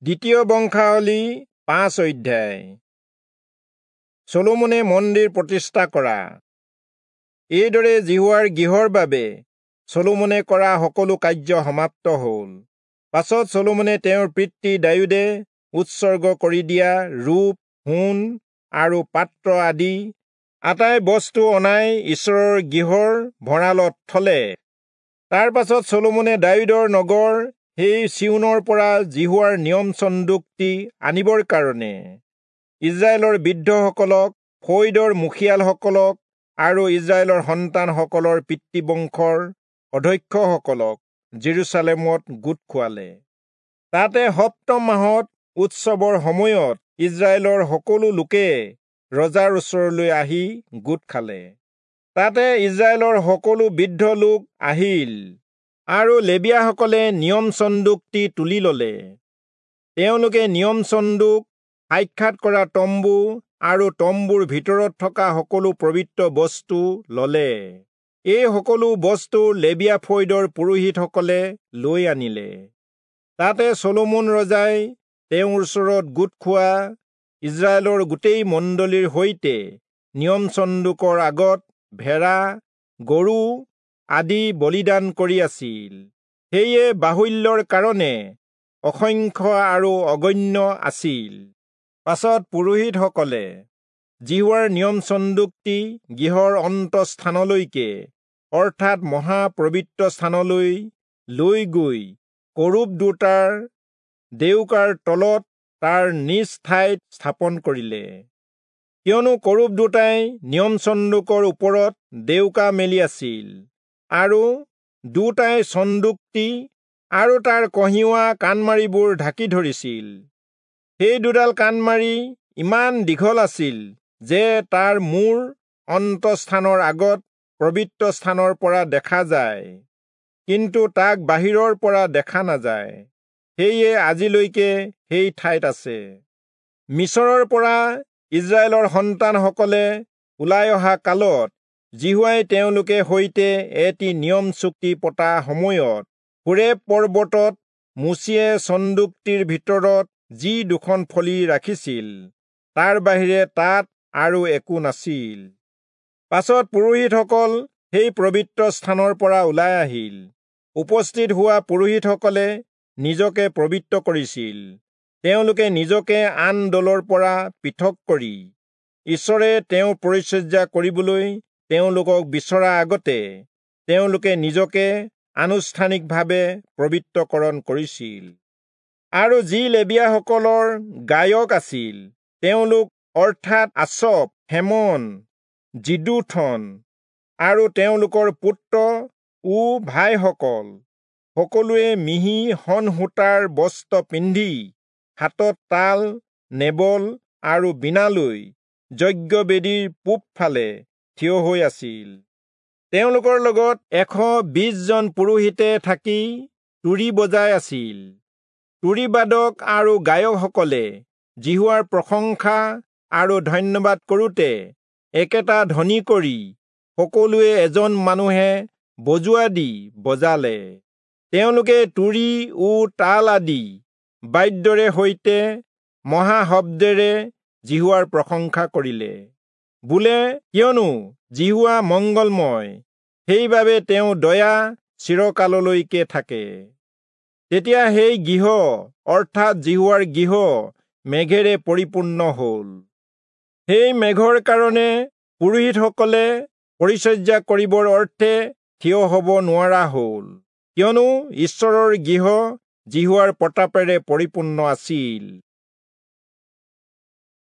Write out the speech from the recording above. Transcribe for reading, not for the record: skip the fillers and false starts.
দ্বিতীয় বংশাৱলী 5 অধ্যায়। চলোমনে মন্দিৰ প্ৰতিষ্ঠা কৰা। এইদৰে যিহোৱাৰ গৃহৰ বাবে চলোমনে কৰা সকলো কাৰ্য সমাপ্ত হ'ল। পাছত চলোমনে তেওঁৰ পিতৃ দায়ূদে উৎসৰ্গ কৰি দিয়া ৰূপ, সোণ আৰু পাত্ৰ আদি আটাই বস্তু অনাই ঈশ্বৰৰ গৃহৰ ভঁৰালত থলে। তাৰ পাছত চলোমনে দায়ূদৰ নগৰ সেই চিয়োনৰ পৰা যিহোৱাৰ নিয়ম চন্দুকটি আনিবৰ কাৰণে ইস্ৰায়েলৰ বৃদ্ধসকলক, ফৈদৰ মুখিয়ালসকলক আৰু ইস্ৰায়েলৰ সন্তানসকলৰ পিতৃবংশৰ অধ্যক্ষসকলক জেৰুচালেমত গোট খুৱালে। তাতে সপ্তম মাহত উৎসৱৰ সময়ত ইস্ৰায়েলৰ সকলো লোকে ৰজাৰ ওচৰলৈ আহি গোট খালে। তাতে ইস্ৰায়েলৰ সকলো বৃদ্ধ লোক আহিল আৰু লেবীয়াসকলে নিয়ম চন্দুকটি তুলি ললে। তেওঁলোকে নিয়ম চন্দুক, সাক্ষাৎ কৰা তম্বু আৰু তম্বুৰ ভিতৰত থকা সকলো পবিত্ৰ বস্তু ললে। এই সকলো বস্তু লেবীয়া ফৈদৰ পুৰোহিতসকলে লৈ আনিলে। তাতে চলোমন ৰজাই তেওঁৰ ওচৰত গোট খোৱা ইস্ৰায়েলৰ গোটেই মণ্ডলীৰ সৈতে নিয়ম চন্দুকৰ আগত ভেড়া, গৰু আদি বলিদান কৰি আছিল। সেয়ে বাহুল্যৰ কাৰণে অসংখ্য আৰু অগণ্য আছিল। পাছত পুৰোহিতসকলে যিহোৱাৰ নিয়ম চন্দুকটি গৃহৰ অন্তঃস্থানলৈকে অৰ্থাৎ মহাপবিত্ৰ স্থানলৈ লৈ গৈ কৰূব দুটাৰ ডেউকাৰ তলত তাৰ নিজ ঠাইত স্থাপন কৰিলে। কিয়নো কৰূব দুটাই নিয়ম চন্দুকৰ ওপৰত ডেউকা মেলি আছিল আৰু দুটাই চন্দুকটি আৰু তাৰ কঢ়িওৱা কাণমাৰিবোৰ ঢাকি ধৰিছিল। সেই দুডাল কাণমাৰি ইমান দীঘল আছিল যে তাৰ মূৰ অন্তঃস্থানৰ আগত পবিত্ৰ স্থানৰ পৰা দেখা যায়, কিন্তু তাক বাহিৰৰ পৰা দেখা নাযায়। সেয়ে আজিলৈকে সেই ঠাইত আছে। মিচৰৰ পৰা ইস্ৰায়েলৰ সন্তানসকলে ওলাই অহা কালত যিহোৱাই তেওঁলোকে সৈতে এটি নিয়ম চুক্তি পতা সময়ত হোৰেব পৰ্বতত মোচিয়ে চন্দুকটিৰ ভিতৰত যি দুখন ফলি ৰাখিছিল, তাৰ বাহিৰে তাত আৰু একো নাছিল। পাছত পুৰোহিতসকল সেই পবিত্ৰ স্থানৰ পৰা ওলাই আহিল। উপস্থিত হোৱা পুৰোহিতসকলে নিজকে পবিত্ৰ কৰিছিল। তেওঁলোকে নিজকে আন দলৰ পৰা পৃথক কৰি ঈশ্বৰে তেওঁ পৰিচৰ্যা কৰিবলৈ তেওঁলোকক বিচৰা আগতে তেওঁলোকে নিজকে আনুষ্ঠানিকভাৱে পবিত্ৰকৰণ কৰিছিল। আৰু যি লেবীয়াসকলৰ গায়ক আছিল, তেওঁলোক অৰ্থাৎ আচফ, হেমন, যিদূথন আৰু তেওঁলোকৰ পুত্ৰ ও ভাইসকল সকলোৱে মিহি শন সূতাৰ বস্ত্ৰ পিন্ধি হাতত তাল, নেবল আৰু বীণা লৈ যজ্ঞবেদীৰ পূবফালে থিয় হৈ আছিল। তেওঁলোকৰ লগত 120 জন পুৰোহিতে থাকি তুৰী বজাই আছিল। তুৰীবাদক আৰু গায়কসকলে যিহোৱাৰ প্ৰশংসা আৰু ধন্যবাদ কৰোঁতে একেটা ধ্বনি কৰি সকলোৱে এজন মানুহে বজোৱা দি বজালে। তেওঁলোকে তুৰী ও তাল আদি বাদ্যৰে সৈতে মহাশব্দেৰে যিহোৱাৰ প্ৰশংসা কৰিলে। বোলে, কিয়নো যিহোৱা মংগলময়, সেইবাবে তেওঁ দয়া চিৰকাললৈকে থাকে। তেতিয়া সেই গৃহ অৰ্থাৎ যিহোৱাৰ গৃহ মেঘেৰে পৰিপূৰ্ণ হ'ল। সেই মেঘৰ কাৰণে পুৰোহিতসকলে পৰিচৰ্যা কৰিবৰ অৰ্থে থিয় হ'ব নোৱাৰা হ'ল, কিয়নো ঈশ্বৰৰ গৃহ যিহোৱাৰ প্ৰতাপেৰে পৰিপূৰ্ণ আছিল।